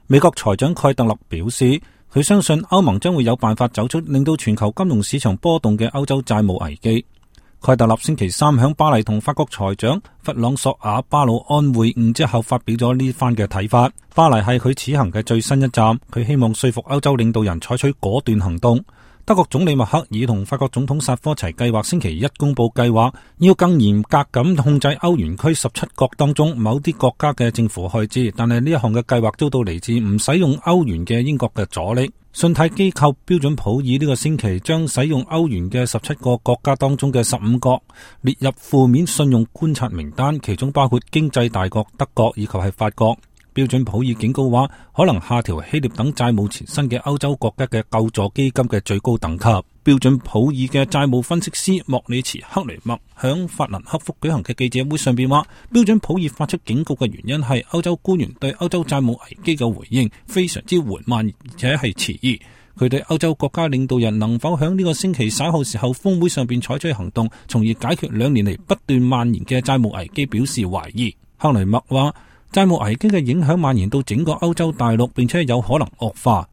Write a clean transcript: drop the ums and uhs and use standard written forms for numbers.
美國財長蓋特勒表示，佢相信歐盟將會有辦法走出令到全球金融市場波動嘅歐洲債務危機。蓋特勒星期三響巴黎同法國財長弗朗索瓦巴魯安會晤之後發表咗呢番嘅睇法。巴黎係佢此行嘅最新一站，佢希望說服歐洲領導人採取果斷行動。德國總理默克爾同法國總統薩科齊計劃星期一公布計劃，要更嚴格咁控制歐元區17國當中某啲國家嘅政府開支，但係呢一項嘅計劃遭到嚟自唔使用歐元嘅英國嘅阻力。信貸機構標準普爾呢個星期將使用歐元嘅17個國家當中嘅15個列入負面信用觀察名單，其中包括經濟大國德國以及係法國。標準普爾警告話，可能下調希臘等債務纏身嘅歐洲國家嘅救助基金嘅最高等級。標準普爾嘅債務分析師莫里茨克雷默響法蘭克福舉行嘅記者會上邊話，標準普爾發出警告嘅原因係歐洲官員對歐洲債務危機嘅回應非常之緩慢，而且係遲疑。佢對歐洲國家領導人能否響呢個星期稍後時候峰會上邊採取行動，從而解決2年嚟不斷蔓延嘅債務危機表示懷疑。克雷默話，債務危機嘅影響蔓延到整個歐洲大陸，並且有可能惡化。